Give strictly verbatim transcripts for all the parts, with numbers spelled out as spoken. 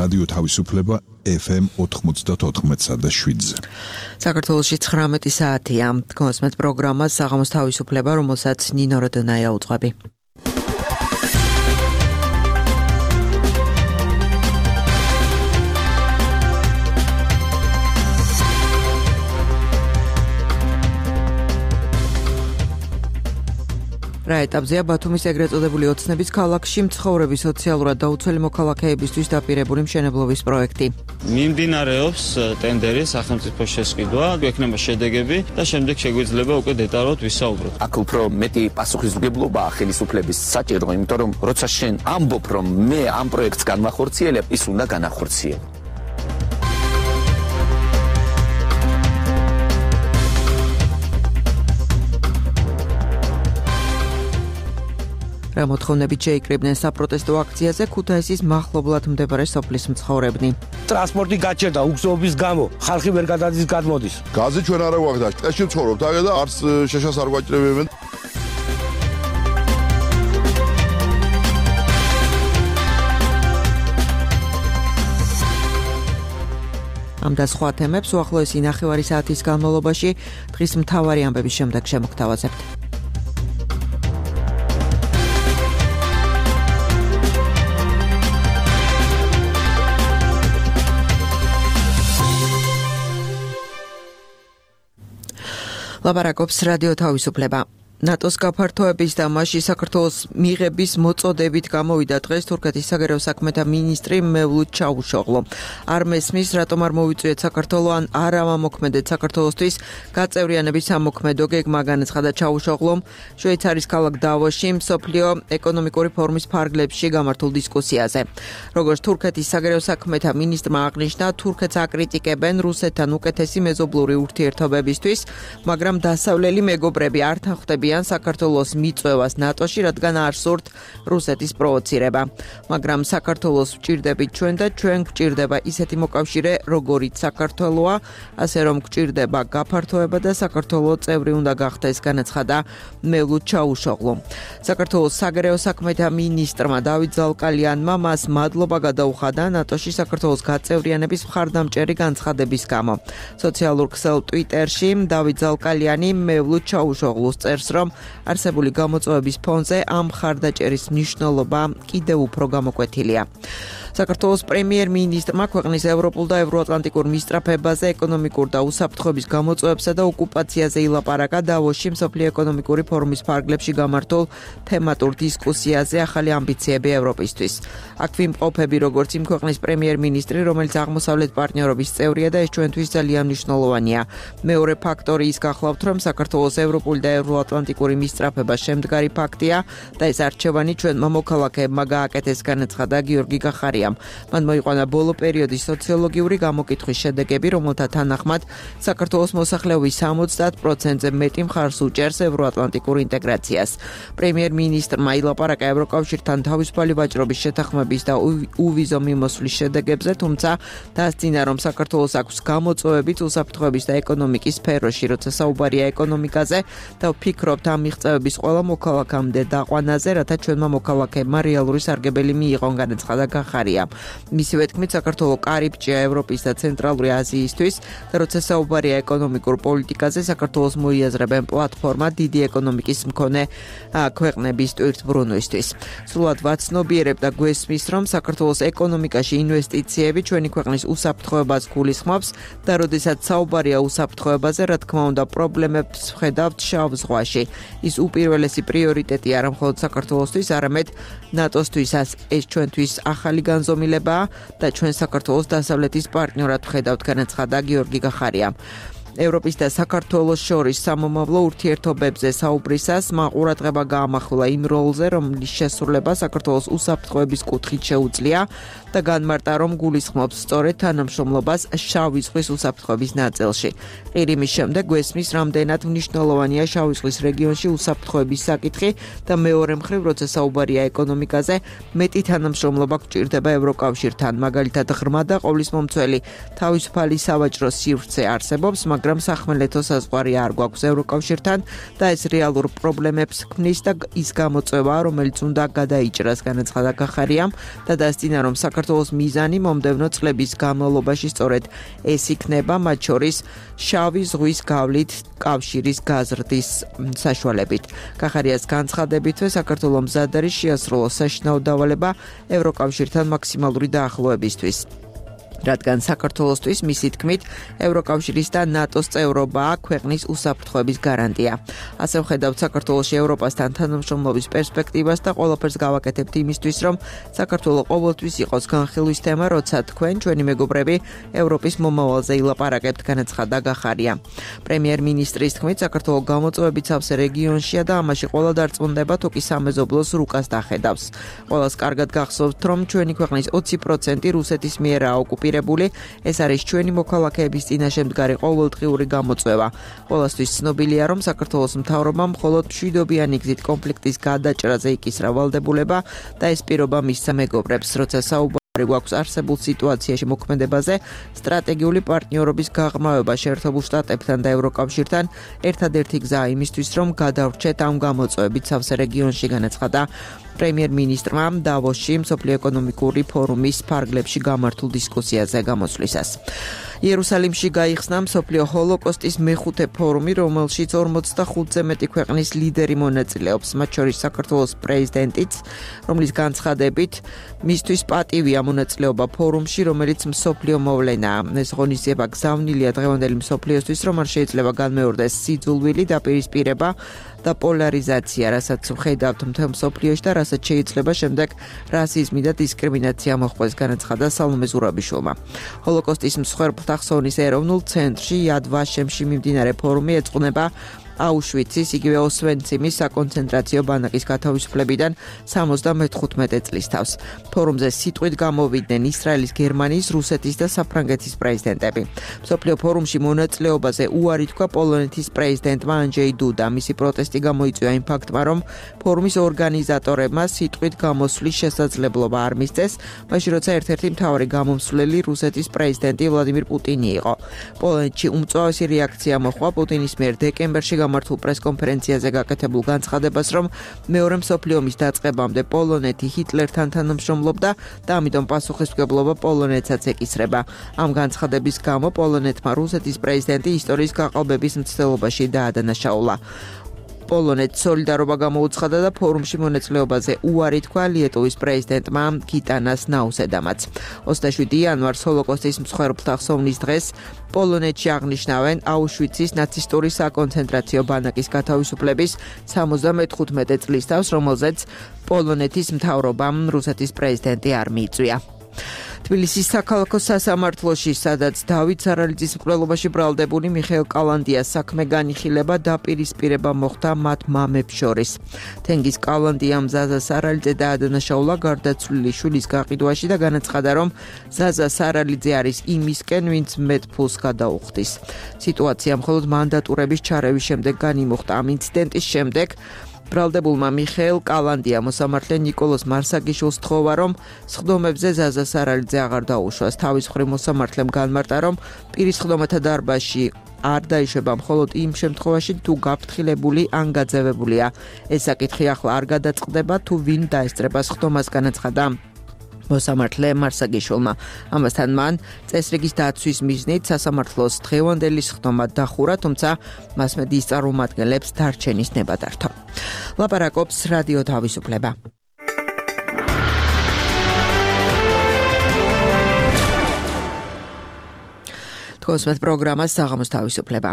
რადიო თავისუფლება ეფ ემ ოთხმოცდაოთხ და შვიდზე. საქართველოში ცხრამეტი საათია. გონსმეთ პროგრამას საღამოს თავისუფლება, რომელსაც ნინო როდონაია უძღვები. რა ეტაპზეა ბათუმის ეგრეთ წოდებული ოცნების ქალაქში მცხოვრები სოციალურად დაუცველი მოქალაქეებისთვის დაპირებული მშენებლობის პროექტი. მიმდინარეობს ტენდერი, სახელმწიფო შესყიდვა, გვექნება შედეგები და შემდეგ შეგვიძლია უკვე დეტალურად ვისაუბროთ. აქ უფრო მეტი პასუხისმგებლობაა ხელისუფლების საჭირო, იმიტომ რომ როცა შენ ამბობ, რომ მე ამ პროექტს განვახორციელებ, ის უნდა განახორციელო. რა მოთხოვნებით შეიკრიბნენ საპროტესტო აქციაზე ქუთაისის მახლობლად მდებარე სოფლის მცხოვრებნი. ტრანსპორტი გაჩერდა უგზობის გამო, ხალხი ვერ გადადის გადმოდის. გაზი ჩვენ არა გვაქვს, ტყეში ვცხოვრობთ, აგე და არც შეშას არ გვაჭრებებენ. ამ და სხვა თემებს უახლოესი ნახევარი საათის განმავლობაში დღის მთავარი ამბების შემდეგ შემოგთავაზებთ. ლაპარაკობს რადიო თავისუფლება. ნატოს გაფართოების და მასში საქართველოს მიღების მოწოდებით გამოვიდა დღეს თურქეთის საგარეო საქმეთა მინისტრი მევლութ ჩავუშოღლო. არ მესმის, რატომ არ მოვიწვიეთ საქართველო ან არ ამოქმედეთ საქართველოსთვის გაწევრიანების სამოქმედო გეგმა, განაცხადა ჩავუშოღლომ შვეიცარიის ქალაქ დავოსში მსოფლიო ეკონომიკური ფორუმის ფარგლებში გამართულ დისკუსიაზე. როგორც თურქეთის საგარეო საქმეთა მინისტრმა აღნიშნა, თურქეთს აკრიტიკებენ რუსეთთან უკეთესი მეზობლური ურთიერთობებისთვის, მაგრამ დასავლელი მეგობრები არ თანხმდებიან საქართველოს მიწვევას ნატოში, რადგან არ სურთ რუსეთის პროვოცირება. მაგრამ საქართველოს ვჭირდებით ჩვენ და ჩვენ გვჭირდება ისეთი მოკავშირე, როგორიც საქართველოა, ასე რომ გვჭირდება გაფართოება და საქართველო წევრი უნდა გახდეს, განაცხადა მევლութ ჩავუშოღლო. საქართველოს საგარეო საქმეთა მინისტრმა დავით ზალკალიანმა მას მადლობა გადაუხადა ნატოში საქართველოს გაწევრიანების მხარდამჭერი განცხადების გამო. სოციალურ ქსელ ტვიტერში დავით ზალკალიანი მევლութ ჩავუშოღლოს წერს, რომ არსებული გამოწვევების ფონზე ამ მხარდაჭერის მნიშვნელობა კიდევ უფრო გამოკვეთილია. საქართველოს პრემიერ-მინისტრმა ქვეყნის ევროპულ და ევროატლანტიკურ მისწრაფებაზე, ეკონომიკურ და უსაფრთხოების გამოწვევებსა და ოკუპაციაზე ილაპარაკა დავოსში მსოფლიო ეკონომიკური ფორუმის ფარგლებში გამართულ თემატურ დისკუსიაზე ახალი ამბიციები ევროპისთვის. აქ ვიმყოფები როგორც იმ ქვეყნის პრემიერ-მინისტრი, რომელიც აღმოსავლეთ პარტნიორობის წევრია და ეს ჩვენთვის ძალიან მნიშვნელოვანია. მეორე ფაქტორი ის გახლავთ, რომ საქართველოს ევროპული და ევროატლანტიკური მისწრაფება შემდგარი ფაქტია და ეს არჩევანი ჩვენმა მოქალაქეებმა გააკეთეს, განაცხადა გიორგი გახარია. მან მოიყვანა ბოლო პერიოდის სოციოლოგიური გამოკითხვის შედეგები, რომელთა თანახმად საქართველოს მოსახლეობის სამოცდაათ პროცენტზე მეტი მხარს უჭერს ევროატლანტიკურ ინტეგრაციას. პრემიერ-მინისტრმა ილაპარაკა ევროკავშირთან თავისუფალი ვაჭრობის შეთანხმების და უვიზო მიმოსვლის შედეგებზე, თუმცა დასძინა, რომ საქართველოს აქვს გამოწვევებით უსაფრთხოების და ეკონომიკის სფეროში, როცა საუბარია ეკონომიკაზე და ვფიქრობთ ამ მიღწევების ყველა მოქალაქემდე დაყვანაზე, რათა ჩვენმა მოქალაქეებმა რეალური სარგებელი მიიღონ, განაცხადა გახარია. მისივე თქმით, საქართველო კარიბჭეა ევროპის და ცენტრალური აზიისთვის და როცა საუბარია ეკონომიკურ პოლიტიკაზე, საქართველოს მოიაზრებენ პლატფორმა დიდი ეკონომიკის მქონე ქვეყნების ტვირთბრუნვისთვის. სრულად ვაცნობიერებ და გვესმის, რომ საქართველოს ეკონომიკაში ინვესტიციები ჩვენი ქვეყნის უსაფრთხოებას გულისხმობს და როდესაც საუბარია უსაფრთხოებაზე, რა თქმა უნდა, პრობლემებს ვხედავთ შავ ზღვაში. ის უპირველესი პრიორიტეტი არა მხოლოდ საქართველოსთვის, არამედ ნატოსთვისაც. ეს ჩვენთვის ახალი განზომილებაა და ჩვენ საქართველოს დასავლეთის პარტნიორად ვხედავთ, განაცხადა გიორგი გახარია. ევროპის და საქართველოს შორის სამომავლო ურთიერთობებზე საუბრისას ყურადღება გაამახვილა იმ როლზე, რომლის შესრულება საქართველოს უსაფრთხოების კუთხით შეუძლია და განმარტა, რომ გულისხმობს სწორედ თანამშრომლობას შავი ზღვის უსაფრთხოების ნაწილში. ყირიმის შემდეგ გვესმის, რამდენად მნიშვნელოვანია შავი ზღვის რეგიონში უსაფრთხოების საკითხი და მეორე მხრივ, როცა საუბარია ეკონომიკაზე, მეტი თანამშრომლობა გვჭირდება ევროკავშირთან. მაგალითად, ღრმა და ყოვლისმომცველი თავისუფალი სავაჭრო სივრცე არსებობს, მაგრამ მაგრამ სახმელეთო საზღვარი არ გვაქვს ევროკავშირთან და ეს რეალურ პრობლემებს ქმნის და ის გამოწვევა, რომელიც უნდა გადაიჭრას, განაცხადა გახარიამ და დასძინა, რომ საქართველოს მიზანი მომდევნო წლების განმავლობაში სწორედ ეს იქნება, მათ შორის შავი ზღვის გავლით კავშირის გაზრდის საშუალებით. გახარიას განცხადებითვე საქართველოს მზად არის შეასრულოს საშინაო დავალება ევროკავშირთან მაქსიმალური დაახლოებისთვის. რადგან საქართველოსთვის მისი თქმით ევროკავშირის და ნატოს წევრობაა ქვეყნის უსაფრთხოების გარანტია. ასე ვხედავთ საქართველოში ევროპასთან თანამშრომლობის პერსპექტივას და ყველაფერს გავაკეთებთ იმისთვის, რომ საქართველო ყოველთვის იყოს განხილვის თემა, როცა თქვენ, ჩვენი მეგობრები, ევროპის მომავალზე ილაპარაკებთ, განაცხადა გახარია. პრემიერ-მინისტრის თქმით, საქართველო გამოწვევებით სავსე რეგიონშია და ამაში ყველა დარწმუნდება, თუ კი სამეზობლოს რუკას დახედავს. ყველას კარგად გახსოვთ, რომ ჩვენი ქვეყნის ოცი პროცენტი რუსეთის მიერაა ოკუპირებული. ეს არის ჩვენი მოქალაქეების წინაშე მდგარი ყოველდღიური გამოწვევა. ყველასთვის ცნობილია, რომ საქართველოს მთავრობამ მხოლოდ მშვიდობიანი გზით კონფლიქტის გადაჭრაზე იკისრა ვალდებულება და ეს პირობა მისცა მეგობრებს, როცა საუბარი გვაქვს არსებულ სიტუაციაში მოქმედებაზე, სტრატეგიული პარტნიორობის გაღრმავება შეერთებულ შტატებთან და ევროკავშირთან ერთადერთი გზაა იმისთვის, რომ გადავრჩეთ ამ გამოწვევებით სავსე რეგიონში, განაცხადა პრემიერ-მინისტრმა დავოსში მსოფლიო ეკონომიკური ფორუმის ფარგლებში გამართულ დისკუსიაზე გამოსვლისას. იერუსალიმში გაიხსნა მსოფლიო ჰოლოკოსტის მეხუთე ფორუმი, რომელშიც ორმოცდახუთზე მეტი ქვეყნის ლიდერი მონაწილეობს, მათ შორის საქართველოს პრეზიდენტიც, რომლის განცხადებით მისთვის პატივია მონაწილეობა ფორუმში, რომელიც მსოფლიო მოვლენაა. ეს ღონისძიება გზავნილია დღევანდელი მსოფლიოსთვის, რომ არ შეიძლება განმეორდეს სიძულვილი დაპირისპირება და პოლარიზაცია, რასაც ვხედავთ მთელ მსოფლიოში და რასაც შეიძლება შემდეგ რასიზმი და დისკრიმინაცია მოხდეს, განაცხადა სალომე ზურაბიშვილმა. ჰოლოკოსტის მსხვერპლთა ხსოვნის ეროვნულ ცენტრში იად ვაშემში მიმდინარე ფორუმი ეძღვნება აუშვიცის, იგივე ოსვენციმის საკონცენტრაციო ბანაკის გათავისუფლებიდან სამოცდამეხუთმეტე წლის თავს. ფორუმზე სიტყვით გამოვიდნენ ისრაელის, გერმანიის, რუსეთის და საფრანგეთის პრეზიდენტები. მსოფლიო ფორუმში მონაწილეობაზე უარი თქვა პოლონეთის პრეზიდენტმა ანჯეი დუდა. მისი პროტესტი გამოიწვია იმ ფაქტმა, რომ ფორუმის ორგანიზატორებმა სიტყვით გამოსვლის შესაძლებლობა არ მისცეს, მაშინ როცა ერთ-ერთი მთავარი გამომსვლელი რუსეთის პრეზიდენტი ვლადიმირ პუტინი იყო. პოლონეთში უმწვავესი რეაქცია მოჰყვა პუტინის მიერ დეკემბერში გამართულ პრესკონფერენციაზე გაკეთებულ განცხადებას, რომ მეორე მსოფლიო ომის დაწყებამდე პოლონეთი ჰიტლერთან თანამშრომლობდა და ამიტომ პასუხისმგებლობა პოლონეთსაც ეკისრება. ამ განცხადების გამო პოლონეთმა რუსეთის პრეზიდენტი ისტორიის გაყალბების მცდელობაში დაადანაშაულა. პოლონეთს სოლიდარობა გამოუცხადა და ფორუმში მონაწილეობაზე უარი თქვა ლიეტუვის პრეზიდენტმა გიტანას ნაუსედამაც. ოცდაშვიდი იანვარს ჰოლოკოსტის მსხვერპლთა ხსოვნის დღეს პოლონეთში აღნიშნავენ აუშვიცის ნაცისტური საკონცენტრაციო ბანაკის გათავისუფლების სამოცდამეხუთმეტე წლის თავს, რომელზეც პოლონეთის მთავრობამ რუსეთის პრეზიდენტი არ მიიწვია. თბილისის საქალაქო სასამართლოში, სადაც დავით სარალიძის მკვლელობაში ბრალდებული მიხეილ კალანდიას საქმე განიხილება დაპირისპირება მოხდა მათ მამებს შორის. თენგიზ კალანდიამ ზაზა სარალიძე დაადანაშაულა გარდაცვლილი შვილის გაყიდვაში და განაცხადა, რომ ზაზა სარალიძე არის იმისკენ, ვინც მეტ ფულს გადაუხდის. სიტუაცია მხოლოდ მანდატურების ჩარევის შემდეგ განიმუხტა. ამ ინციდენტის შემდეგ ბრალდებულმა მიხეილ კალანდია მოსამართლე ნიკოლოზ მარსაგიშვილს თხოვა, რომ სხდომებზე ზაზა სარალიძე აღარ დაუშვას. თავის მხრივ მოსამართლემ განმარტა, რომ პირის სხდომათა დარბაზში არ დაიშვება მხოლოდ იმ შემთხვევაში, თუ გაფრთხილებული ან გაძევებულია. ეს საკითხი ახლა არ გადაწყდება, თუ ვინ დაესწრება სხდომას, განაცხადა მოსამართლე მარსაგიშვილმა. ამასთან მან წესრიგის დაცვის მიზნით სასამართლოს დღევანდელი სხდომა დახურა, თუმცა მასმედიის წარმომადგენლებს დარჩენის ნება დართო. ლაპარაკობს რადიო თავისუფლება. თქოსმეთ პროგრამას საღამოს თავისუფლება.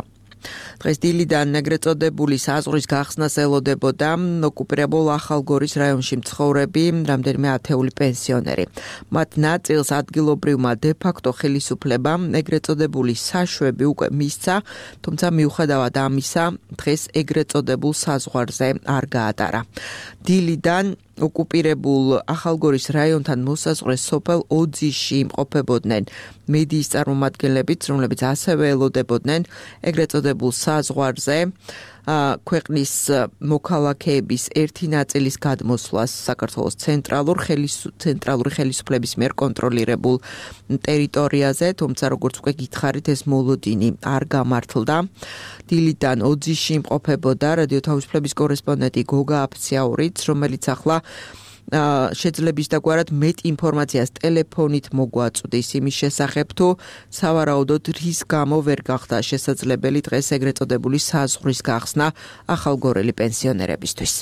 დღეს დილიდან ეგრეთ წოდებული საზღვრის გახსნას ელოდებოდა ოკუპირებულ ახალგორის რაიონში მცხოვრები რამდენიმე ათეული პენსიონერი. მათ ნაწილს ადგილობრივმა დე-ფაქტო ხელისუფლებამ ეგრეთ წოდებული საშვები უკვე მისცა, თუმცა მიუხედავად ამისა, დღეს ეგრეთ წოდებულ საზღვარზე არ გაატარა. დილიდან ოკუპირებულ ახალგორის რაიონთან მოსაზღვრე სოფელ ოძიში იმყოფებოდნენ მედიის წარმომადგენლებიც, რომლებიც ასევე ელოდებოდნენ ეგრეთ წოდებულ საზღვარზე ქვეყნის მოქალაქეების ერთი ნაწილის გადმოსვლას საქართველოს ცენტრალურ ცენტრალური ხელისუფლების მიერ კონტროლირებულ ტერიტორიაზე, თუმცა როგორც უკვე გითხარით, ეს მოლოდინი არ გამართლდა. დილიდან ოძიში იმყოფებოდა რადიო თავისუფლების კორესპონდენტი გოგა აფციაურიც, რომელიც ახლა შეძლების დაგვარად მეტ ინფორმაციას ტელეფონით მოგვაწვდის იმის შესახებ, თუ სავარაუდოდ რის გამო ვერ გახდა შესაძლებელი დღეს ეგრეთ წოდებული საზღვრის გახსნა ახალგორელი პენსიონერებისთვის.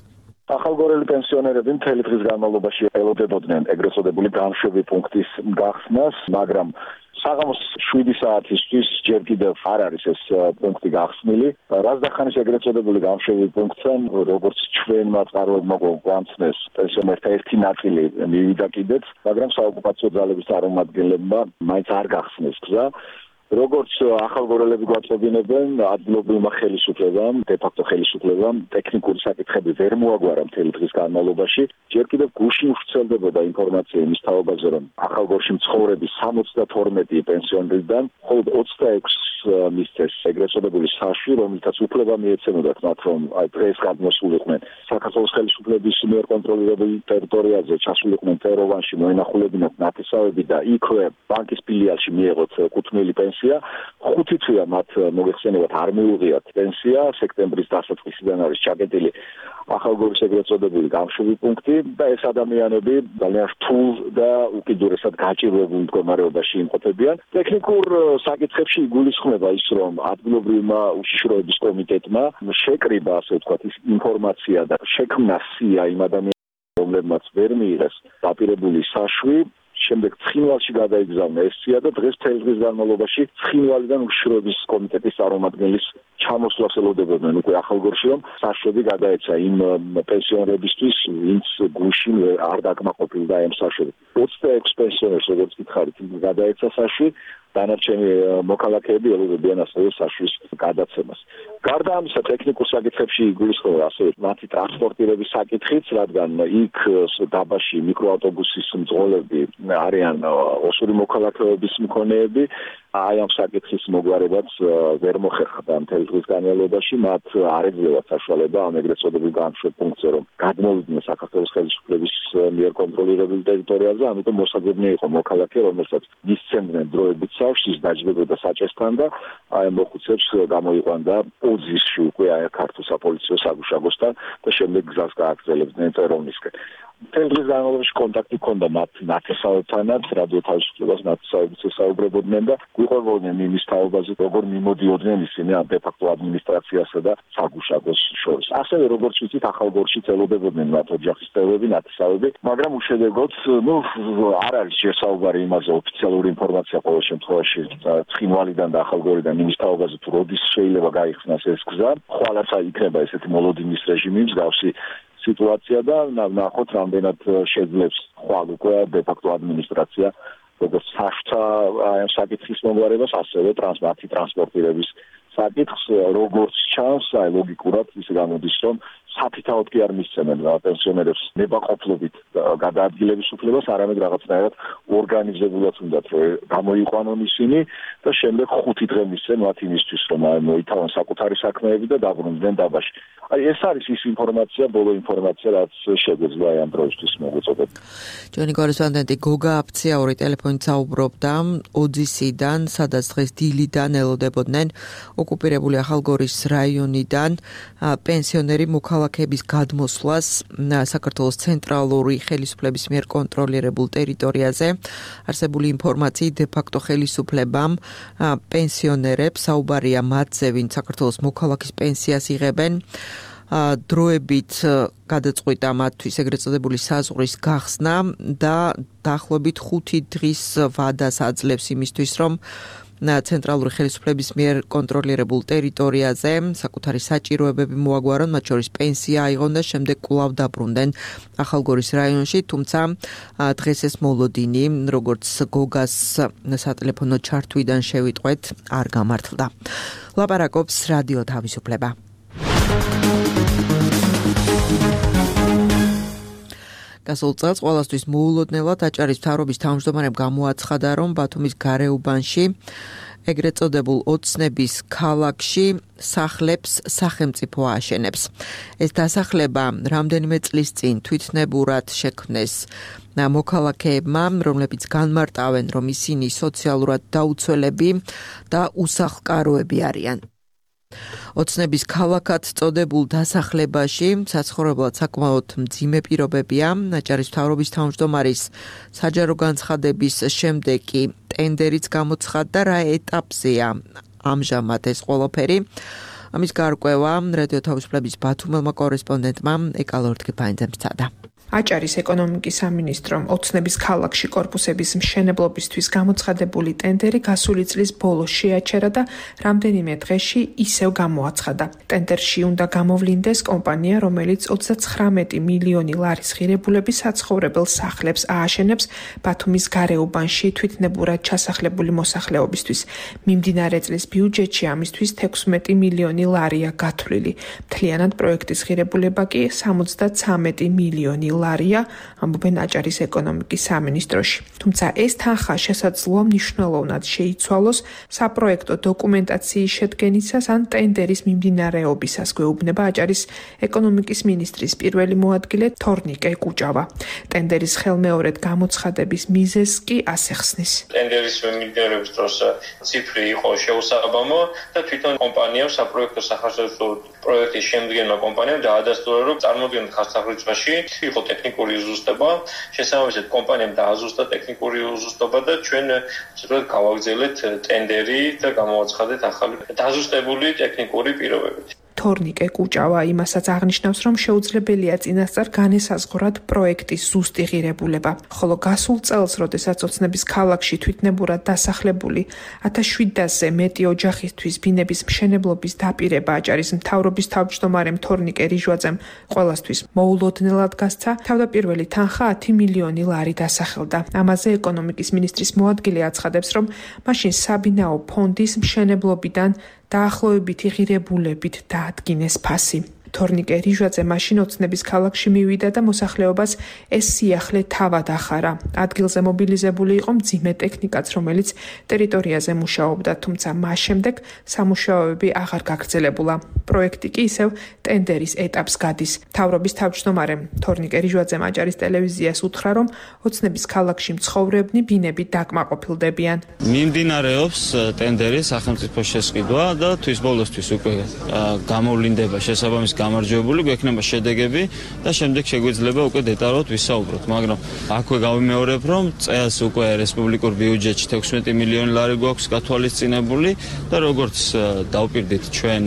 ახალგორელი პენსიონერები მთელი დღის განმავლობაში ელოდებოდნენ ეგრეთ წოდებული გამშვები პუნქტის გახსნას, მაგრამ საღამოს შვიდი საათისთვის ჯერ კიდევ არ არის ეს პუნქტი გახსნილი. რაზდახანის ეგრეთ წოდებული გამშვები პუნქტთან, როგორც ჩვენმა წყაროებმა გვამცნეს, პენსიონერთა ერთი ნაწილი მივიდა კიდეც, მაგრამ საოკუპაციო ძალების წარმომადგენლებმა მაინც არ გახსნეს გზა. როგორც ახალგორელები გვაწოდინებენ, ადგილობრივმა ხელისუფლებამ, დე-ფაქტო ხელისუფლებამ ტექნიკური საკითხები ვერ მოაგვარა მთელი დღის განმავლობაში. ჯერ კიდევ გუშინ ვრცელდებოდა ინფორმაცია იმის თაობაზე, რომ ახალგორში მცხოვრები სამოცდათორმეტი პენსიონერიდან მხოლოდ ოცდაექვსს მისცეს ეგრეთ წოდებული საშვი, რომელთაც უფლება მიეცემოდათ მათ, რომ აი დღეს გადმოსულიყვნენ საქართველოს ხელისუფლების მიერ კონტროლირებულ ტერიტორიაზე, ჩასულიყვნენ თეროვანში, მოენახულებინათ ნათესავები და იქვე ბანკის ფილიალში მიეღოთ კუთვნილი პენსია. ხუთი თვეა მათ მოიხსენებათ არ მიუღიათ პენსია, სექტემბრის დასაწყისიდან არის ჩაკეტილი ახალგორის ეგრეთ წოდებული გამშვები პუნქტი და ეს ადამიანები ძალიან რთულ და უკიდურესად გაჭირვებულ მდგომარეობაში იმყოფებიან. ტექნიკურ საკითხებში იგულისხმება ის, რომ ადგილობრივმა უშიშროების კომიტეტმა შეკრიბა, ასე ვთქვათ, ის ინფორმაცია და შექმნა სია იმ ადამიანებს, რომლებმაც ვერ მიიღეს დაპირებული საშვი. შემდეგ ცხინვალში გადაიგზავნა ეს სია და დღეს მთელი დღის განმავლობაში ცხინვალიდან უშიშროების კომიტეტის წარმომადგენლის ჩამოსვლას ელოდებოდნენ უკვე ახალგორში, რომ საშვები გადაეცა იმ პენსიონერებისთვის, ვინც გუშინ არ დაკმაყოფილდა ამ საშვებით. ოცდაექვსს პენსიონერს, როგორც გითხარით, გადაეცა საშვი, დანარჩენი მოქალაქეები ელოდებიან ასევე საშვის გადაცემას. გარდა ამისა, ტექნიკურ საკითხებში იგულისხმება ასევე მათი ტრანსპორტირების საკითხიც, რადგან იქ დაბაში მიკროავტობუსის მძღოლები არიან ოსური მოქალაქეების მქონეები. აი ამ საკითხის მოგვარებაც ვერ მოხერხდა მთელი დღის განმავლობაში, მათ არ ეძლევათ საშუალება ამ ეგრეთ წოდებულ გამშვებ პუნქტზე, რომ გადმოვიდნენ საქართველოს ხელისუფლების მიერ კონტროლირებულ ტერიტორიაზე, ამიტომ მოსაძებნი იყო მოქალაქე, რომელსაც მისცემდნენ დროებით საშვის, დაჯდებოდა საჭესთან და აი ამ მოხუცებს გამოიყვანდა ოძისში უკვე აი ქართულ საპოლიციო საგუშაგოსთან და შემდეგ გზას გააგრძელებდნენ წეროვნისკენ. მთელი დღის განმავლობაში კონტაქტი ჰქონდა მათ ნათესავებთანაც, რადიო თავისუფლებას ნათესავებიც ესაუბრებოდნენ და გვიყვებოდნენ იმის თაობაზე, როგორ მიმოდიოდნენ ისინი ამ დე-ფაქტო ადმინისტრაციასა და საგუშაგოს შორის. ასევე როგორც ვიცით, ახალგორში ელოდებოდნენ მათ ოჯახის წევრები, ნათესავები, მაგრამ უშედეგოდ, ნუ არ არის შესაუბარი იმაზე ოფიციალური ინფორმაცია ყოველ შემთხვევაში ცხინვალიდან და ახალგორიდან იმის თაობაზე, თუ როდის შეიძლება გაიხსნას ეს გზა. ხვალაც იქნება ესეთი მოლოდინის რეჟიმი, მსგავსი სიტუაცია და ნახოთ რამდენად შეძლებს ხვალ უკვე დე-ფაქტო ადმინისტრაცია როგორც საშვთა ამ საკითხის მოგვარებას, ასევე ტრანსპორტი ტრანსპორტირების საკითხს, როგორც ჩანს, აი ლოგიკურად ის გამოდის, რომ საფრთხოდ კი არ მისცემენ პენსიონერებს ნებაყოფლობით გადაადგილების უფლებას, არამედ რაღაცნაირად ორგანიზებულად უნდათ რომ გამოიყვანონ ისინი და შემდეგ ხუთი დღე მისცენ მათ იმისთვის, რომ მოითავონ საკუთარი საქმეები და დაბრუნდნენ დაბაში. აი ეს არის ის ინფორმაცია, ბოლო ინფორმაცია, რაც შეგვეძლო აი ამ დროისთვის მოგვეწოდეთ. ჩვენი კორესპონდენტი გოგა აფციაური ტელეფონით საუბრობდა ოძისიდან, სადაც დღეს დილიდან ელოდებოდნენ ოკუპირებული ახალგორის რაიონიდან პენსიონერი მოქალაქეების გადმოსვლას საქართველოს ცენტრალური ხელისუფლების მიერ კონტროლირებულ ტერიტორიაზე. არსებული ინფორმაციით დე-ფაქტო ხელისუფლებამ პენსიონერებს საუბარია მათზე, ვინც საქართველოს მოქალაქის პენსიას იღებენ, დროებით გადაწყვიტა მათთვის ეგრეთ წოდებული საზღვრის გახსნა და დაახლოებით ხუთი დღის ვადას აძლევს იმისთვის, რომ ცენტრალური ხელისუფლების მიერ კონტროლირებულ ტერიტორიაზე საკუთარი საჭიროებები მოაგვარონ, მათ შორის პენსია აიღონ და შემდეგ კვლავ დაბრუნდნენ ახალგორის რაიონში, თუმცა დღეს ეს მოლოდინი, როგორც გოგას სატელეფონო ჩართვიდან შევიტყვეთ, არ გამართლდა. ლაპარაკობს რადიო თავისუფლება. გასულ წელს ყველასთვის მოულოდნელად აჭარის მთავრობის თავმჯდომარემ გამოაცხადა, რომ ბათუმის გარეუბანში ეგრეთ წოდებულ ოცნების ქალაქში სახლებს სახელმწიფო აშენებს. ეს დასახლება რამდენიმე წლის წინ თვითნებურად შექმნეს მოქალაქეებმა, რომლებიც განმარტავენ, რომ ისინი სოციალურად დაუცველები და უსახლკაროები არიან. ოცნების ქალაქად წოდებულ დასახლებაში საცხოვრებლად საკმაოდ მძიმე პირობებია. აჭარის მთავრობის თავმჯდომარის საჯარო განცხადების შემდეგ კი ტენდერიც გამოცხადდა, რა ეტაპზეა ამჟამად ეს ყველაფერი. ამის გარკვევა რადიო თავისუფლების ბათუმელმა კორესპონდენტმა ეკალორთქიფაინძემ სცადა. აჭარის ეკონომიკის სამინისტრომ ოცნების ქალაქში კორპუსების მშენებლობისთვის გამოცხადებული ტენდერი გასული წლის ბოლოს შეაჩერა და რამდენიმე დღეში ისევ გამოაცხადა. ტენდერში უნდა გამოვლინდეს კომპანია, რომელიც ოცდაცხრამეტი მილიონი ლარის ღირებულების საცხოვრებელ სახლებს ააშენებს ბათუმის გარეუბანში თვითნებურად ჩასახლებული მოსახლეობისთვის. მიმდინარე წლის ბიუჯეტში ამისთვის თექვსმეტი მილიონი ლარია გათვლილი. მთლიანად პროექტის ღირებულება კი სამოცდაცამეტი მილიონი ლარია, ამბობენ აჭარის ეკონომიკის სამინისტროში. თუმცა ეს თანხა შესაძლოა მნიშვნელოვნად შეიცვალოს საპროექტო დოკუმენტაციის შედგენისას ან ტენდერის მიმდინარეობისას, გვეუბნება აჭარის ეკონომიკის მინისტრის პირველი მოადგილე თორნიკე კუჭავა. ტენდერის ხელმეორედ გამოცხადების მიზეზს კი ასე ხსნის. ტენდერის მიმდინარეობის დროს ციფრი იყო შეუსაბამო და თვითონ კომპანიამ საპროექტო სახასიათო პროექტის შემდგენმა კომპანიამ დაადასტურა, რომ წარმოადგენთ ხასაღრიცხვაში იყო ტექნიკური უზუსტება, შესაბამისად კომპანიამ დააზუსტა ტექნიკური უზუსტება და ჩვენ ვთქვათ გავაგრძელეთ ტენდერი და გამოვაცხადეთ ახალი დაზუსტებული ტექნიკური პირობებით. თორნიკე კუჭავა იმასაც აღნიშნავს, რომ შეუძლებელია წინასწარ განესაზღვრათ პროექტის ზუსტი ღირებულება. ხოლო გასულ წელს, როდესაც ოცნების ქალაქში თვითნებურად დასახლებული ათას შვიდასზე მეტი ოჯახისთვის ბინების მშენებლობის დაპირება აჭარის მთავრობის თავმჯდომარემ თორნიკე რიჟვაძემ ყველასთვის მოულოდნელად გასცა, თავდაპირველი თანხა ათი მილიონი ლარი დასახელდა. ამაზე ეკონომიკის მინისტრის მოადგილე აცხადებს, რომ მაშინ საბინაო ფონდის მშენებლობიდან დაახლოებითი ღირებულებით დაადგინეს ფასი. თორნიკე რიჟვაძე მაშინ ოცნების ქალაქში მივიდა და მოსახლეობას ეს სიახლე თავად ახარა. ადგილზე მობილიზებული იყო მძიმე ტექნიკაც, რომელიც ტერიტორიაზე მუშაობდა, თუმცა მას შემდეგ სამუშაოები აღარ გაგრძელებულა. პროექტი კი ისევ ტენდერის ეტაპს გადის. მთავრობის თავმჯდომარემ თორნიკე რიჟვაძემ აჭარის ტელევიზიას უთხრა, რომ ოცნების ქალაქში მცხოვრებნი ბინები დაკმაყოფილდებიან. მიმდინარეობს ტენდერის სახელმწიფო შესყიდვა და თვის ბოლოსთვის უკვე გამოვლინდება შესაბამის გამარჯვებული, გვექნება შედეგები და შემდეგ შეგვიძლია უკვე დეტალურად ვისაუბროთ, მაგრამ აქვე გავიმეორებ, რომ წელს უკვე რესპუბლიკურ ბიუჯეტში თექვსმეტი მილიონი ლარი გვაქვს გათვალისწინებული და როგორც დავპირდით ჩვენ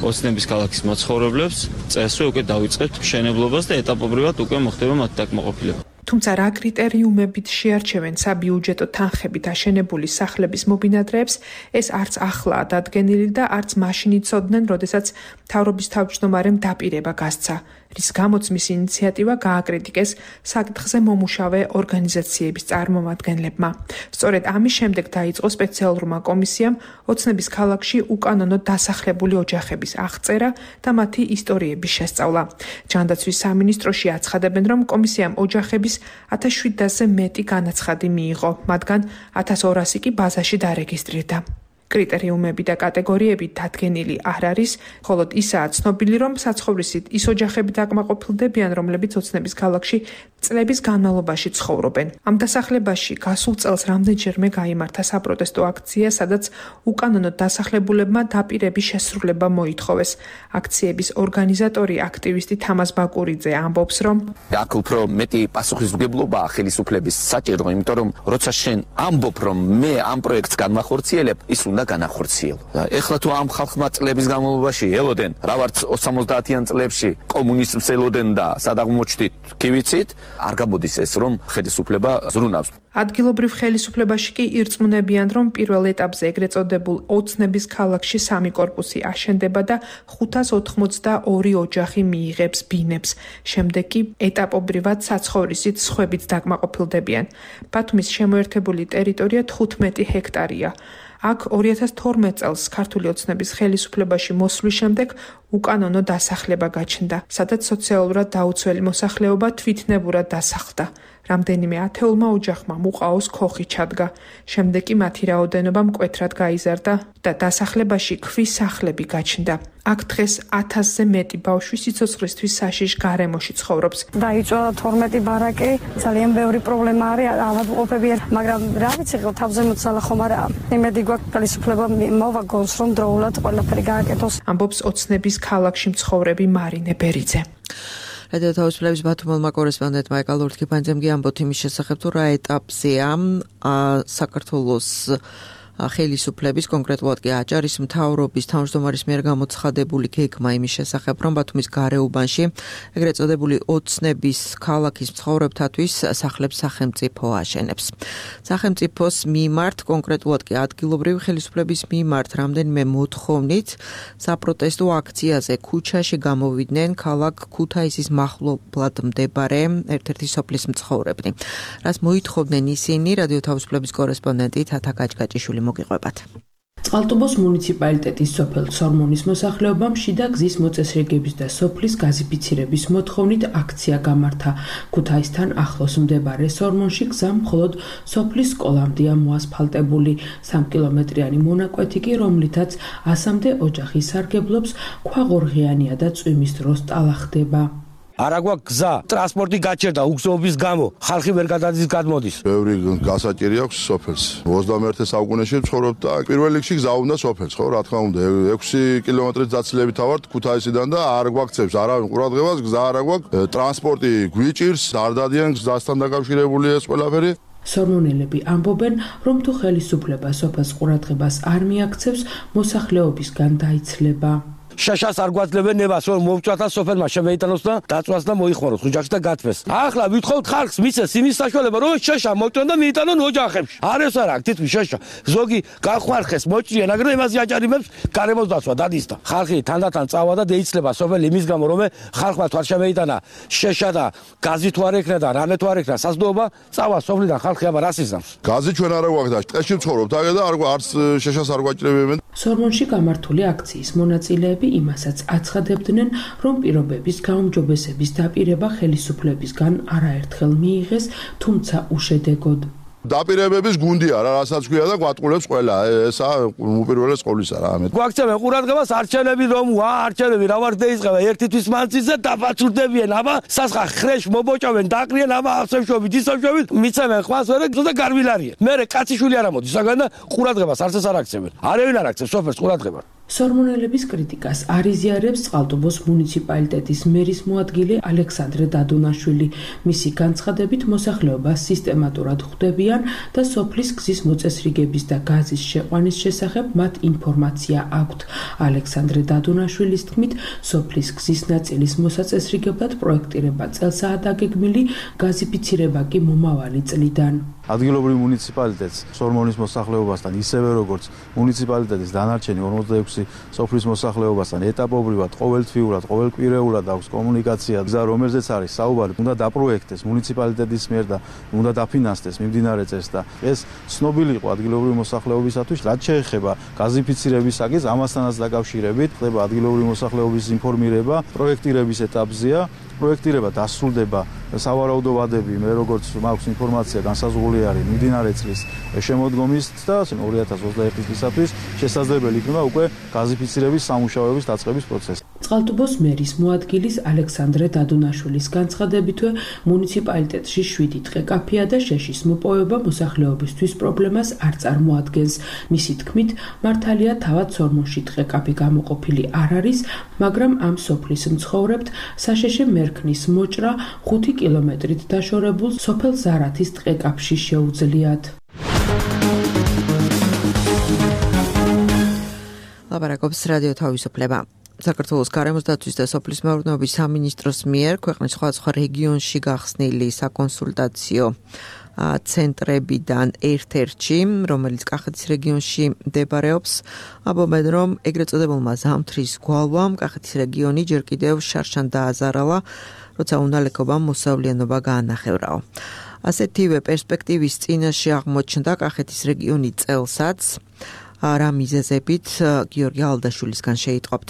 ოცნების ქალაქის მაცხოვრებლებს, წელსვე უკვე დავიწყებთ მშენებლობას და ეტაპობრივად უკვე მოხდება მათი დაკმაყოფილება. თუმცა რა კრიტერიუმებით შეარჩევენ საბიუჯეტო თანხებით აშენებული სახლების მობინადრეებს, ეს არც ახლაა დადგენილი და არც მაშინ იცოდნენ, როდესაც მთავრობის თავმჯდომარემ დაპირება გასცა, რის გამოც მის ინიციატივა გააკრიტიკეს საკითხზე მომუშავე ორგანიზაციების წარმომადგენლებმა. სწორედ ამის შემდეგ დაიწყო სპეციალურმა კომისიამ ოცნების ქალაქში უკანონო დასახლებული ოჯახების აღწერა და მათი ისტორიების შესწავლა. ჯანდაცვის სამინისტროში აცხადებენ, რომ კომისიამ ოჯახების ათას შვიდასზე მეტი განაცხადი მიიღო, მათგან ათას ორასი კი ბაზაში დარეგისტრირდა. კრიტერიუმები და კატეგორიები დადგენილი არ არის, ხოლო ისაა ცნობილი, რომ საცხოვრისით ის ოჯახები დაკმაყოფილდებიან, რომლებიც ოცნების ქალაქში წლების განმავლობაში ცხოვრობენ. ამ დასახლებაში გასულ წელს რამდენჯერმე გაიმართა საპროტესტო აქცია, სადაც უკანონო დასახლებულებმა დაპირების შესრულება მოითხოვეს. აქციების ორგანიზატორი აქტივისტი თამაზ ბაკურიძე ამბობს, რომ აქ უფრო მეტი პასუხისმგებლობაა ხელისუფლების საჭირო, იმიტომ რომ როცა შენ ამბობ, რომ მე ამ პროექტს განვახორციელებ, ის უნდა განახორციელო. ეხლა თუ ამ ხალხმა წლების განმავლობაში ელოდენ, რა ვარც ოცდაათიან წლებში კომუნიზმს ელოდენ და სადაღმოჩნდით კი ვიცით, არ გამოდის ეს, რომ ხელისუფლება ზრუნავს. ადგილობრივ ხელისუფლებაში კი ირწმუნებიან, რომ პირველ ეტაპზე ეგრეთ წოდებულ ოცნების ქალაქში სამი კორპუსი აშენდება და ხუთას ოთხმოცდაორი ოჯახი მიიღებს ბინებს. შემდეგ კი ეტაპობრივად საცხოვრისით სხვებიც დაკმაყოფილდებიან. ბათუმის შემოერთებული ტერიტორია თხუთმეტი ჰექტარია. აქ ორი ათას თორმეტ წელს ქართული ოცნების ხელისუფლებაში მოსვლის შემდეგ უკანონო დასახლება გაჩნდა, სადაც სოციალურად დაუცველი მოსახლეობა თვითნებურად დასახლდა. რამდენიმე ათეულმა ოჯახმა მუყაოს ქოხი ჩადგა. შემდეგ კი მათი რაოდენობა მკვეთრად გაიზარდა და დასახლებაში ქვის სახლები გაჩნდა. აქ დღეს ათასზე მეტი ბავშვი სიცოცხლისთვის საშიშ გარემოში ცხოვრობს. დაიწვა თორმეტი ბარაკი, ძალიან ბევრი პრობლემა არის, ავადმყოფები, მაგრამ რა ვიცი, თავზე მოცალა ხომ არა. იმედი გვაქვს ხელისუფლება მოვაგონს, რომ დროულად ყველაფერი გააკეთოს. ამბობს ოცნების ქალაქში მცხოვრები მარინე ბერიძე. რადიო თავისუფლების ბათუმელმა კორესპონდენტმა ეკალ ლურთქიფანძემ გიამბოთ იმის შესახებ, თუ რა ეტაპზეა საქართველოს ხელისუფლების, კონკრეტულად კი აჭარის მთავრობის თავმჯდომარის მიერ გამოცხადებული გეგმა იმის შესახებ, რომ ბათუმის გარეუბანში ეგრეთ წოდებული ოცნების ქალაქის მცხოვრებთათვის სახლებს სახელმწიფო აშენებს. სახელმწიფოს მიმართ, კონკრეტულად კი ადგილობრივი ხელისუფლების მიმართ რამდენიმე მოთხოვნით საპროტესტო აქციაზე ქუჩაში გამოვიდნენ ქალაქ ქუთაისის მახლობლად მდებარე ერთ-ერთი სოფლის მცხოვრებნი. რაც მოითხოვდნენ ისინი, რადიო თავისუფლების კორესპონდენტი თათა გაჭგაჭიშვილი მოგიყვებათ. წყალტუბოს მუნიციპალიტეტის სოფელ სორმონის მოსახლეობამ შიდა გზის მოწესრიგების და სოფლის გაზიფიცირების მოთხოვნით აქცია გამართა. ქუთაისთან ახლოს მდებარე სორმონში გზა მხოლოდ სოფლის სკოლამდეა მოასფალტებული. სამ კილომეტრიანი მონაკვეთი კი, რომლითაც ასამდე ოჯახი სარგებლობს, ქვაღორღიანია და წვიმის დროს ტალახდება. არა გვაქვს გზა, ტრანსპორტი გაჩერდა უგზობის გამო, ხალხი ვერ გადადის გადმოდის. ბევრი გასაჭირი აქვს სოფელს. ოცდამეერთე საუკუნეში ცხოვრობ და პირველ რიგში გზა უნდა სოფელს, ხო, რა თქმა უნდა. ექვსი კილომეტრის დაცილებით ავართ ქუთაისიდან და არ გვაქცევს არავინ ყურადღებას, გზა არა გვაქვს, ტრანსპორტი გვიჭირს, არ დადიან გზასთან დაკავშირებული ეს ყველაფერი. სორმონელები ამბობენ, რომ თუ ხელისუფლება სოფელს ყურადღებას არ მიაქცევს, მოსახლეობისგან დაიცლება. შაშას არ გვაძლევენ ნებას, რომ მოვწვათ და სოფელმა შემეიტანოს და დაწვას და მოიხმაროს ოჯახში და გათმეს. ახლა ვითხოვთ ხალხს მისცეს იმის საშუალება, რომ შაშა მოწვენ და მიიტანონ ოჯახებში. არ ეს არა, თითქმის შაშა. ზოგი გახვარხეს, მოჭრიან, აგრე იმაზე აჭარიმებს გარემოს დაცვა დადის და ხალხი თანდათან წავა და დაიცლება სოფელი იმის გამო, რომ ხალხმა თუ არ შემეიტანა შეშა და გაზი თუ არ ეკრა და რამე თუ არ ეკრა საზრდოობა, წავა სოფლიდან ხალხი აბა რას იზამს. გაზი ჩვენ არა გვაქვს და ტყეში ვცხოვრობთ, აგე და არ არც შეშას არ გვაჭრებენ. სორმონში გამართული აქციის მონაწილეები იმასაც აცხადებდნენ, რომ პირობების გაუმჯობესების დაპირება ხელისუფლებისგან არაერთხელ მიიღეს, თუმცა უშედეგოდ. დაპირებების გუნდია რა, რასაც ქვია და გვატყულებს ყველა. ესა უპირველეს ყოვლისა რა. გვაქცევენ ყურადღებას არჩევნები რომ ვა არჩევნები რა ვარ დაიწყება ერთი თვის მანძილზე დაფაცურდებიან, აბა სასხა ხრეშ მობოჭავენ, დაყრიან, აბა ავსევშობით, ისევშობით, მიცემენ ხვას ვერე და გარვილარიან. მერე კაციშვილი არ ამოდის საგან და ყურადღებას არც ეს არ აქცევენ. არავინ არ აქცევს სოფელს ყურადღებას. სორმონელების კრიტიკას არ იზიარებს წყალტუბოს მუნიციპალიტეტის მერის მოადგილე ალექსანდრე დადუნაშვილი. მისი განცხადებით მოსახლეობა სისტემატურად ხვდებიან და სოფლის გზის მოწესრიგების და გაზის შეყვანის შესახებ მათ ინფორმაცია აქვთ. ალექსანდრე დადუნაშვილის თქმით, სოფლის გზის ნაწილის მოსაწესრიგებლად პროექტირება წელსაა დაგეგმილი, გაზიფიცირება კი მომავალი წლიდან. ადგილობრივ მუნიციპალიტეტს სორმონის მოსახლეობასთან ისევე როგორც მუნიციპალიტეტის დანარჩენი ორმოცდაექვსი სოფლის მოსახლეობასთან ეტაპობრივად ყოველთვიურად, ყოველკვირეულად აქვს კომუნიკაცია. გზა, რომელზეც არის საუბარი, უნდა დაპროექტეს მუნიციპალიტეტის მიერ და უნდა დაფინანსდეს მიმდინარე წელს და ეს ცნობილი იყო ადგილობრივი მოსახლეობისათვის, რაც შეეხება გაზიფიცირების საკითხს, ამასთანაც დაკავშირებით ხდება ადგილობრივი მოსახლეობის ინფორმირება, პროექტირების ეტაპზეა. პროექტირება დასრულდება, სავარაუდო ვადები, მე როგორც მაქვს ინფორმაცია, განსაზღვრული არის მიმდინარე წლის შემოდგომის და ორი ათას ოცდაერთი წლისათვის შესაძლებელი იქნება უკვე გაზიფიცირების სამუშაოების დაწყების პროცესი. წყალტუბოს მერის მოადგილის ალექსანდრე დადუნაშვილის განცხადებითვე მუნიციპალიტეტში შვიდი დღე კაფეა და შეშის მოპოვება მოსახლეობისთვის პრობლემას არ წარმოადგენს. მისი თქმით, მართალია თავად სორმონში დღე კაფე გამოყოფილი არ არის, მაგრამ ამ სოფლის მცხოვრებთ საშეშე მერქნის მოჭრა ხუთი კილომეტრით დაშორებულ სოფელ ზარათის ტყეკაპში შეუძლიათ. ლაპარაკობს რადიო თავისუფლება. საქართველოს გარემოს დაცვის და სოფლის მეურნეობის სამინისტროს მიერ ქვეყნის სხვადასხვა რეგიონში გახსნილი საკონსულტაციო ცენტრებიდან ერთ-ერთში, რომელიც კახეთის რეგიონში მდებარეობს, ამბობენ, რომ ეგრეთ წოდებულმა ზამთრის გვალვამ კახეთის რეგიონი ჯერ კიდევ შარშან დააზარალა, როცა უნალექობამ მოსავლიანობა გაანახევრაო. ასეთივე პერსპექტივის წინაშე აღმოჩნდა კახეთის რეგიონი წელსაც, რა მიზეზებით გიორგი ალდაშვილისგან შეიტყობთ.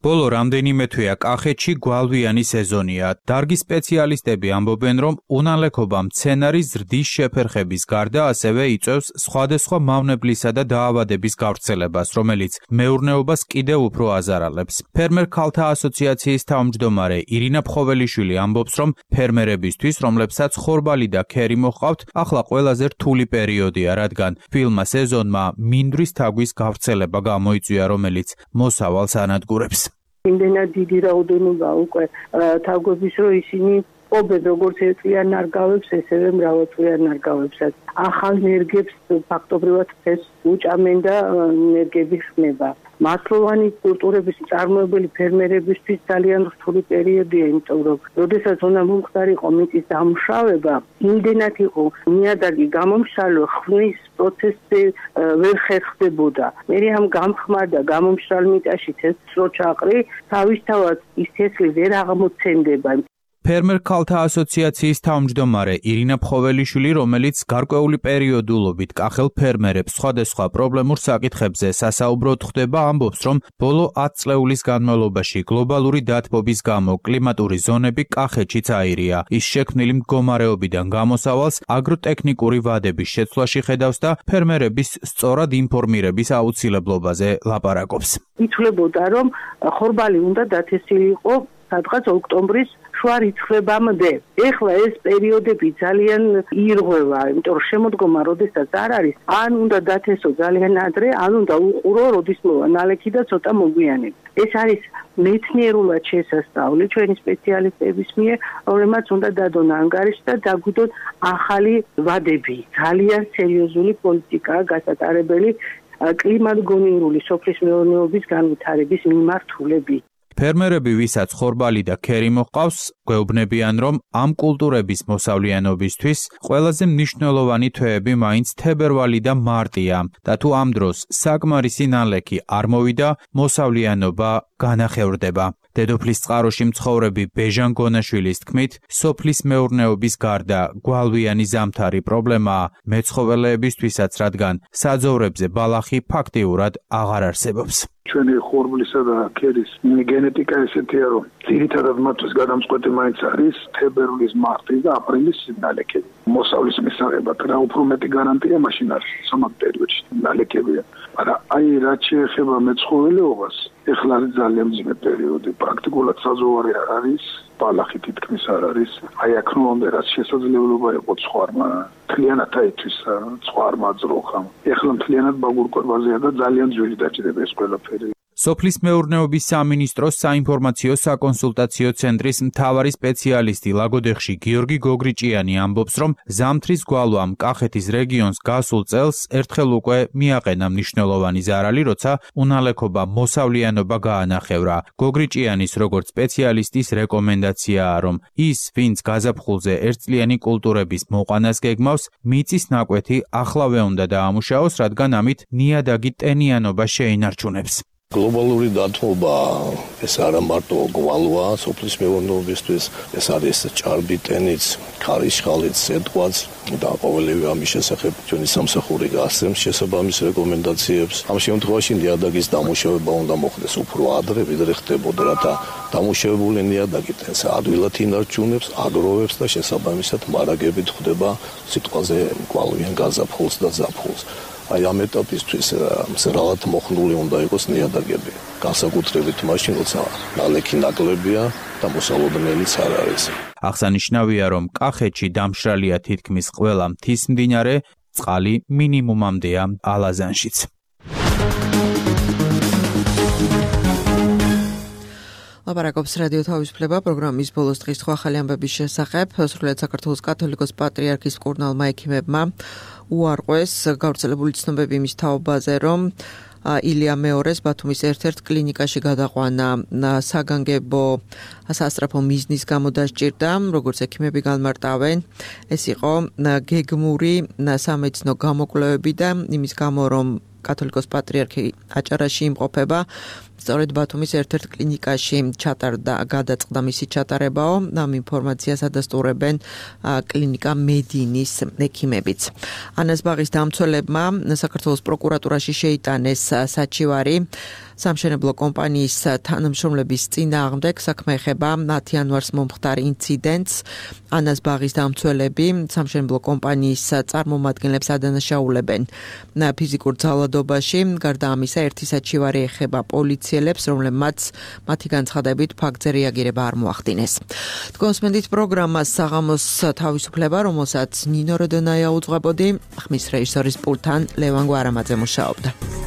ბოლო რამდენიმე თვეა კახეთში გვალვიანი სეზონია. დარგის სპეციალისტები ამბობენ, რომ უნალექობა მცენარის ზრდის შეფერხების გარდა ასევე იწვევს სხვადასხვა მავნებლისა და დაავადების გავრცელებას, რომელიც მეურნეობას კიდევ უფრო აზარალებს. ფერმერ ქალთა ასოციაციის თავმჯდომარე ირინა ფხოველიშვილი ამბობს, რომ ფერმერებისთვის, რომლებსაც ხორბალი და ქერი მოჰყავთ, ახლა ყველაზე რთული პერიოდია, რადგან ფილმა სეზონმა მინდვრის თაგვის გავრცელება გამოიწვია, რომელიც მოსავალს ანადგურებს. იმდენად დიდი რაოდენობა უკვე თაგვების, რომ ისინი ყოფენ როგორც ერთწლიან ნარგავებს, ესევე მრავალწლიან ნარგავებსაც. ახალ ნერგებს ფაქტობრივად ეს უჭამენ და ნერგები ხმება. მართლოვანი კულტურების მწარმოებელი ფერმერებისთვის ძალიან რთული პერიოდია, იმიტომ რომ როდესაც უნდა მომხდარიყო მიწის დამუშავება, იმდენად იყო ნიადაგი გამომშრალო, ხმის პროცესი ვერ ხერხდებოდა. მე ამ გამხმარ და გამომშრალ მიწაში თესლო ჩაყრი, თავისთავად ის თესლი ვერ აღმოცენდება. ფერმერ ქალთა ასოციაციის თავმჯდომარე ირინა ფხოველიშვილი, რომელიც გარკვეული პერიოდულობით კახელ ფერმერებს სხვადასხვა პრობლემურ საკითხებზე სასაუბროდ ხვდება, ამბობს, რომ ბოლო ათი წლეულის განმავლობაში გლობალური დათბობის გამო კლიმატური ზონები კახეთშიც აირია. ის შექმნილი მდგომარეობიდან გამოსავალს აგროტექნიკური ვადების შეცვლაში ხედავს და ფერმერების სწორად ინფორმირების აუცილებლობაზე ლაპარაკობს. ითვლებოდა, რომ ხორბალი უნდა დათესილიყო სადღაც ოქტომბრის შუა რიცხვებამდე. ეხლა ეს პერიოდები ძალიან ირღვევა, იმიტომ რომ შემოდგომა როდესაც არ არის, ან უნდა დათესო ძალიან ადრე, ან უნდა უყურო, როდის მოვა ნალექი და ცოტა მოგვიანებით. ეს არის მეცნიერულად შესასწავლი ჩვენი სპეციალისტების მიერ, რომლებმაც უნდა დადონ ანგარიში და დაგვიდონ ახალი ვადები. ძალიან სერიოზული პოლიტიკაა გასატარებელი კლიმატგონივრული სოფლის მეურნეობის განვითარების მიმართულებით. ფერმერები, ვისაც ხორბალი და ქერი მოჰყავს, გვეუბნებიან, რომ ამ კულტურების მოსავლიანობისთვის ყველაზე მნიშვნელოვანი თვეები მაინც თებერვალი და მარტია და თუ ამ დროს საკმარისი ნალექი არ მოვიდა, მოსავლიანობა განახევრდება. დედოფლის წყაროში მცხოვრები ბეჟან გონაშვილის თქმით, სოფლის მეურნეობის გარდა გვალვიანი ზამთარი პრობლემაა მეცხოველეებისთვისაც, რადგან საძოვრებზე ბალახი ფაქტიურად აღარ არსებობს. ჩვენი ხორბლისა და ქერის გენეტიკა ესეთია, რომ ძირითადად მათთვის გადამწყვეტი მაინც არის თებერვლის, მარტის და აპრილის ნალექები. მოსავლის მისაღებად რა უფრო მეტი გარანტია მაშინ არის სამად პერიოდში ნალექებია. მაგრამ აი რაც შეეხება მეცხოველეობას, ეხლა არის ძალიან მძიმე პერიოდი. პრაქტიკულად საზღვარი არ არის, ბალახი თითქმის არ არის. აი აქ ნომერ რაც შესაძლებლობა იყო ცხვარმა მთლიანად აითვისა, ცხვარმა ძროხამ. ეხლა მთლიანად ბაგურკვებაზეა და ძალიან ძვირი დაჭირება ეს ყველაფერი. სოფლის მეურნეობის სამინისტროს საინფორმაციო საკონსულტაციო ცენტრის მთავარი სპეციალისტი ლაგოდეხში გიორგი გოგრიჭიანი ამბობს, რომ ზამთრის გვალვამ კახეთის რეგიონს გასულ წელს ერთხელ უკვე მიაყენა მნიშვნელოვანი ზარალი, როცა უნალექობა მოსავლიანობა გაანახევრა. გოგრიჭიანის როგორც სპეციალისტის რეკომენდაციაა, რომ ის, ვინც გაზაფხულზე ერთწლიანი კულტურების მოყვანას გეგმავს, მიწის ნაკვეთი ახლავე უნდა დაამუშავოს, რადგან ამით ნიადაგი ტენიანობა შეინარჩუნებს. გლობალური დათბობა ეს არა მარტო გვალვა სოფლის მეურნეობისთვის, ეს არის ჭარბი ტენიც, ქარიშხალიც, სეტყვაც და ყოველივე ამის შესახებ ჩვენი სამსახური გასცემს შესაბამის რეკომენდაციებს. ამ შემთხვევაში ნიადაგის დამუშავება უნდა მოხდეს უფრო ადრე, ვიდრე ხდებოდა, რათა დამუშავებული ნიადაგი ტენს ადვილად ინარჩუნებს, აგროვებს და შესაბამისად მარაგებით ხდება სიტყვაზე გვალვიან გაზაფხულს და ზაფხულს. აი ამ ეტაპისთვის მზრალად მოხნული უნდა იყოს ნიადაგები. განსაკუთრებით მაშინ, როცა ნალექი ნაკლებია და მოსალოდნელიც არ არის. აღსანიშნავია, რომ კახეთში დამშრალია თითქმის ყველა მთის მდინარე, წყალი მინიმუმამდეა ალაზანშიც. ლაპარაკობს რადიო თავისუფლება პროგრამის ბოლოს დღის სხვა ახალი ამბების შესახებ. სრულიად საქართველოს კათოლიკოს პატრიარქის მკურნალმა ექიმებმა უარყვეს გავრცელებული ცნობები იმის თაობაზე, რომ ილია მეორეს ბათუმის ერთ-ერთ კლინიკაში გადაყვანა საგანგებო სასწრაფო მიზნის გამო დასჭირდა, როგორც ექიმები განმარტავენ. ეს იყო გეგმური სამედიცინო გამოკვლევები და იმის გამო, რომ კათოლიკოს პატრიარქი აჭარაში იმყოფება, სწორედ ბათუმის ერთ-ერთ კლინიკაში ჩატარდა გადაწყდა მისი ჩატარებაო. ამ ინფორმაციას ადასტურებენ კლინიკა მედინის ექიმებიც. ანას ბაღის დამცველებმა საქართველოს პროკურატურაში შეიტანეს საჩივარი სამშენებლო კომპანიის თანამშრომლების წინააღმდეგ საქმე ეხება მათი იანვარს მომხდარ ინციდენტს. ანას ბაღის დამცველები სამშენებლო კომპანიის წარმომადგენლებს ადანაშაულებენ ფიზიკურ ძალადობაში. გარდა ამისა, ერთი საჩივარი ეხება პოლიციელებს, რომლებმაც მათი განცხადებით ფაქტზე რეაგირება არ მოახდინეს. თქვენს მენდით პროგრამას საღამოს თავისუფლება, რომელსაც ნინო როდონაია უძღვებოდი, ხმის რეჟისორის პულტთან ლევან გვარამაძე მუშაობდა.